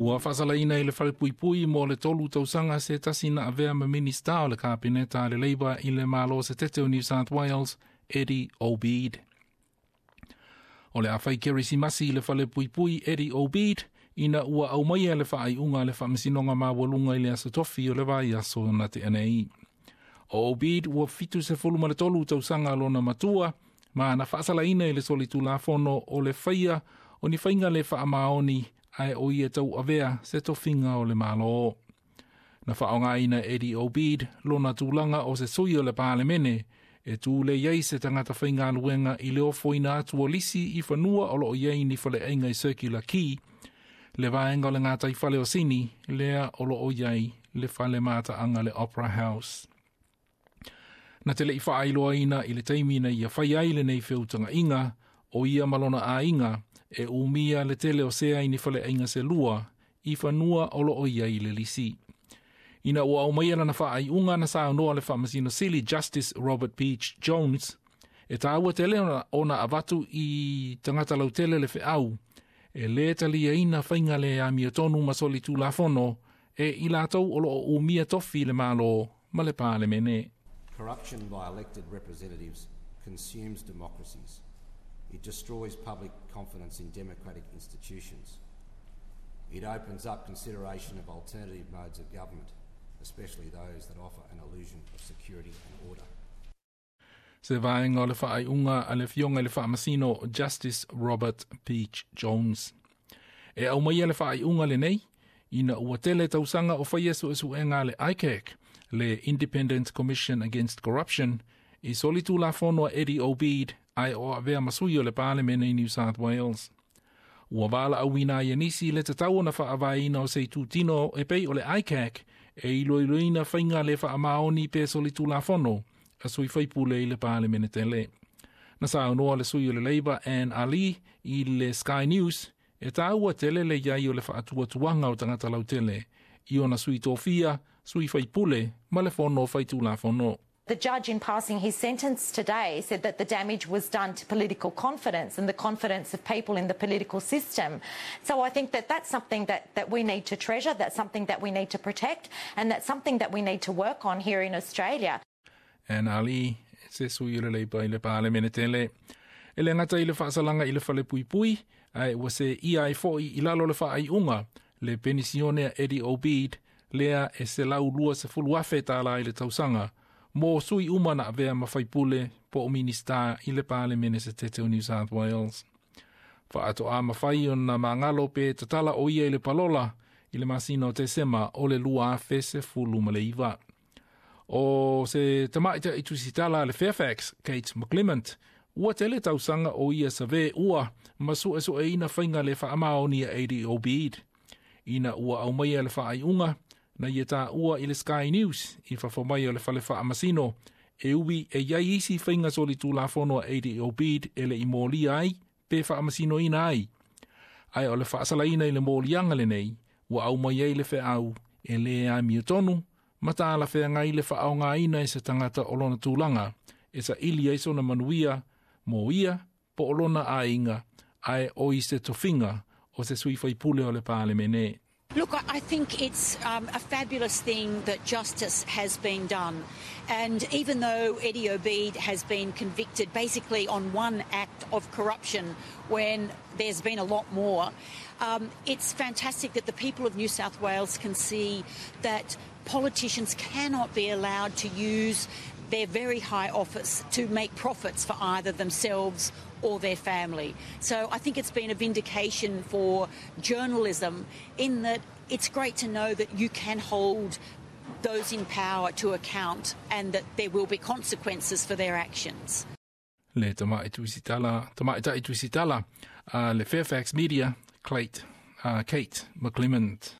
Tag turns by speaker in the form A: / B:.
A: Ua faasalaina i le falepuipui mo le 3 tausaga se tasi na avea ma Minista o le Kapeneta a le Labour i le Malo Setete o New South Wales, Eddie Obeid. O le a fai kerisimasi i le falepuipui Eddie Obeid ina ua aumaia le faaiuga a le Faamasinoga Maualuga i le aso tofi o le vaiaso na tea nei. O Obeid ua 73 tausaga lona matua ma na faasalaina i le solitulafono o le faia o ni faiga le faamaoni ae o ia tauavea se tofiga o le Malo. Na faaaogaina Eddie Obeid lona tulaga o se sui o le Palemene e tulei ai se tagata faigaluega i le ofoina atu o lisi i fanua o loo i ai ni faleaiga i Circular Quay, le vaega o le gataifale o Sini, lea o loo i ai le fale mataaga le Opera House. Na te lei faailoaina i le taimi na ia fai ai lenei feutagaiga o ia ma lona aiga e umia le tele o sea i ni faleaiga se lua i fanua o loo i ai le lisi. Ina ua aumaia lana faaiuga na saunoa le Faamasino Sili Justice Robert Beach Jones, e tāua tele ona avatu i tagata lautele le feau, e lē taliaina faiga le amiotonu ma solitulafono e i latou o loo umia tofi le Malo ma le Palemene.
B: Corruption by elected representatives consumes democracies. It destroys public confidence in democratic institutions. It opens up consideration of alternative modes of government, especially those that offer an illusion of security and order.
A: Se vaega o le faaiuga a le afioga i le Faamasino Justice Robert Peach Jones. E aumaia le faaiuga lenei, ina ua tele tausaga o faia suesuega a le ICAC, le Independent Commission Against Corruption, i solitulafono a Eddie Obeid ae o avea ma sui o le Palemene i New South Wales. Ua valaauina ai e nisi le tatau ona faavaeina o se itutino e pei o le ICAC e iloiloina faiga le faamaoni pe solitulafono a sui faipule i le Palemene tele. Na saunoa le sui o le Labour Anne Ali i le Sky News e tāua tele le iai o le faatuatuaga o tagata lautele i ona sui tofia, sui faipule ma le fono faitulafono.
C: The judge, in passing his sentence today, said that the damage was done to political confidence and the confidence of people in the political system. So I think that that's something that we need to treasure, that's something that we need to protect, and that's something that we need to work on here in Australia.
A: Anne Ali, se sui o le Labour i le Palemene tele. E le gata i le faasalaga i le falepuipui, ae ua seia ai foi i lalo le faaiuga, le penisione a Eddie Obeid, lea e $120,000 i le tausaga, mo sui uma na avea ma faipule po o minista i le Palemene Setete o New South Wales. Faatoa mafai ona magalo pe tatala o ia i le palola i le masina o Tesema o le 2019. O se tamaita i tusitala le Fairfax, Kate McClement, ua tele tausaga o ia save ua ma suesueina faiga le faamaoni a Eddie Obeid. Ina ua aumaia le faaiuga, na ia tāua i le Sky News i fafo mai o le fale faamasino, e ui e iai isi faiga solitulafono a Eddie Obeid e le i molia ai pe faamasinoina ai. Ae o le faasalaina i le moliaga lenei, ua aumai ai le feau e lē amiotonu, ma talafeagai le faaaogaina e se tagata o lona tulaga, e saili ai sona manuia, mo ia po o lona aiga, ae o i se tofiga o se sui faipule o le Palemene.
D: Look, I think it's a fabulous thing that justice has been done. And even though Eddie Obeid has been convicted basically on one act of corruption when there's been a lot more, it's fantastic that the people of New South Wales can see that politicians cannot be allowed to use their very high office to make profits for either themselves or their family. So I think it's been a vindication for journalism in that it's great to know that you can hold those in power to account and that there will be consequences for their actions.
A: Le tamaita'i tusitala le Fairfax Media, Kate McClement.